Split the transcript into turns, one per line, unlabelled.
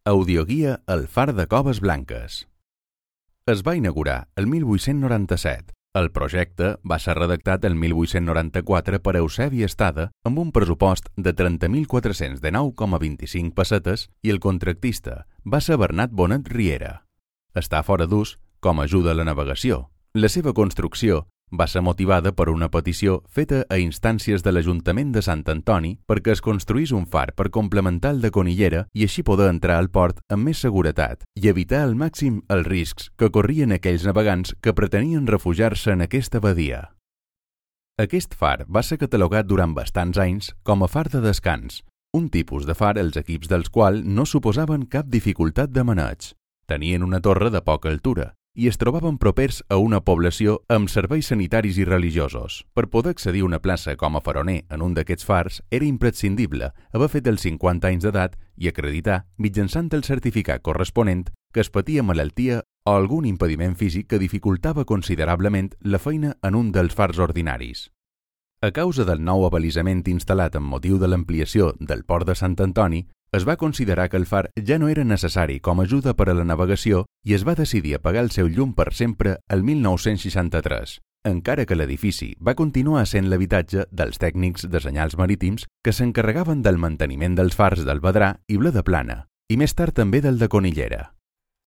Audioguia El far de Coves Blanques. Es va inaugurar el 1897. El projecte va ser redactat el 1894 per Eusebi Estada amb un pressupost de 30.419,25 pessetes i el contractista va ser Bernat Bonet Riera. Està fora d'ús com a ajuda a la navegació. La seva construcció va ser motivada per una petició feta a instàncies de l'Ajuntament de Sant Antoni perquè es construís un far per complementar el de Conillera i així poder entrar al port amb més seguretat i evitar al màxim els riscs que corrien aquells navegants que pretenien refugiar-se en aquesta badia. Aquest far va ser catalogat durant bastants anys com a far de descans, un tipus de far els equips dels quals no suposaven cap dificultat de maneig. Tenien una torre de poca altura i es trobaven propers a una població amb serveis sanitaris i religiosos. Per poder accedir a una plaça com a faroner en un d'aquests fars era imprescindible haver fet els 50 anys d'edat i acreditar, mitjançant el certificat corresponent, que es patia malaltia o algun impediment físic que dificultava considerablement la feina en un dels fars ordinaris. A causa del nou abalisament instal·lat amb motiu de l'ampliació del port de Sant Antoni, es va considerar que el far ja no era necessari com a ajuda per a la navegació i es va decidir apagar el seu llum per sempre el 1963, encara que l'edifici va continuar sent l'habitatge dels tècnics de senyals marítims que s'encarregaven del manteniment dels fars del Vedrà i Vilaplana, i més tard també del de Conillera.